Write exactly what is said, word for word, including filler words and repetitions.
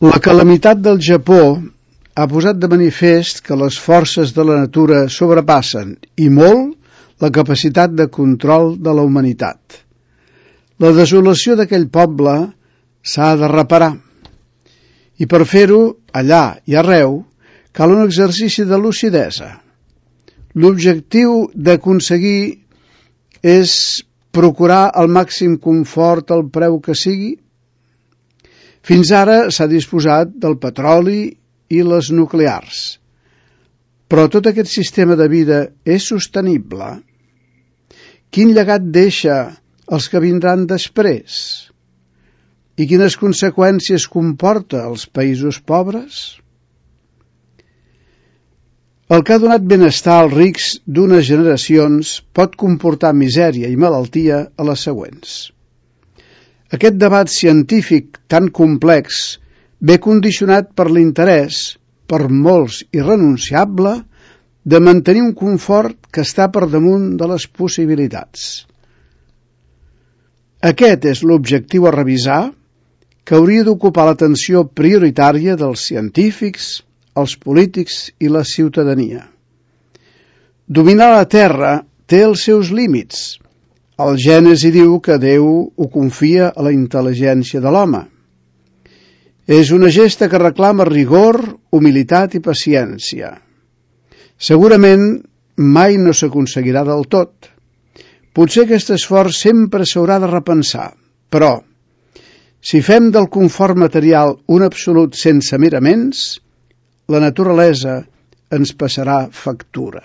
La calamitat del Japó ha posat de manifest que les forces de la natura sobrepassen, i molt, la capacitat de control de la humanitat. La desolació d'aquell poble s'ha de reparar, i per fer-ho, allà i arreu, cal un exercici de lucidesa. L'objectiu d'aconseguir és procurar el màxim confort al preu que sigui. Fins ara s'ha disposat del petroli i les nuclears. Però tot aquest sistema de vida és sostenible? Quin llegat deixa els que vindran després? I quines conseqüències comporta als països pobres? El que ha donat benestar als rics d'unes generacions pot comportar misèria i malaltia a les següents. Aquest debat científic tan complex ve condicionat per l'interès, per molts irrenunciable, de mantenir un confort que està per damunt de les possibilitats. Aquest és l'objectiu a revisar, que hauria d'ocupar l'atenció prioritària dels científics, els polítics i la ciutadania. Dominar la terra té els seus límits. El Gènesi diu que Déu ho confia a la intel·ligència de l'home. És una gesta que reclama rigor, humilitat i paciència. Segurament mai no s'aconseguirà del tot. Potser aquest esforç sempre s'haurà de repensar, però si fem del confort material un absolut sense miraments, la naturalesa ens passarà factura.